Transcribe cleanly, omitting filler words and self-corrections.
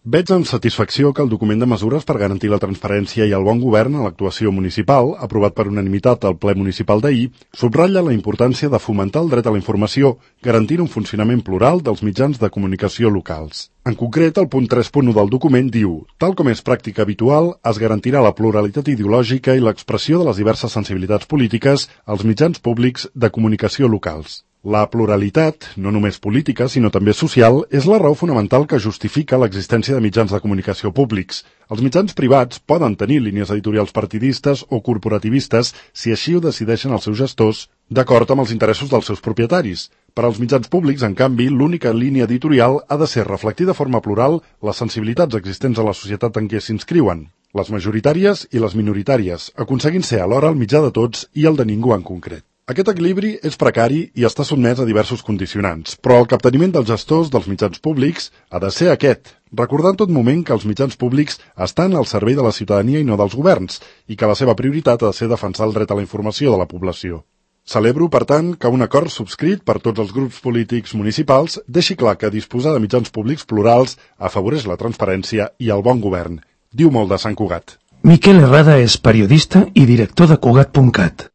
Veig amb satisfacció que el document de mesures per garantir la transparència i el bon govern a l'actuació municipal, aprovat per unanimitat al ple municipal d'ahir, subratlla la importància de fomentar el dret a la informació, garantint un funcionament plural dels mitjans de comunicació locals. En concret, el punt 3.1 del document diu: tal com és pràctica habitual, es garantirà la pluralitat ideològica i l'expressió de les diverses sensibilitats polítiques als mitjans públics de comunicació locals. La pluralitat, no només política, sinó també social, és la raó fonamental que justifica l'existència de mitjans de comunicació públics. Els mitjans privats poden tenir línies editorials partidistes o corporativistes si així ho decideixen els seus gestors, d'acord amb els interessos dels seus propietaris. Per als mitjans públics, en canvi, l'única línia editorial ha de ser reflectir de forma plural les sensibilitats existents a la societat en què s'inscriuen, les majoritàries i les minoritàries, aconseguint ser alhora el mitjà de tots i el de ningú en concret. Aquest equilibri és precari i està sotmès a diversos condicionants, però el capteniment dels gestors dels mitjans públics ha de ser aquest, recordar en tot moment que els mitjans públics estan al servei de la ciutadania i no dels governs, i que la seva prioritat ha de ser defensar el dret a la informació de la població. Celebro, per tant, que un acord subscrit per tots els grups polítics municipals deixi clar que disposar de mitjans públics plurals afavoreix la transparència i el bon govern. Diu molt de Sant Cugat. Miquel Herrada és periodista i director de Cugat.cat.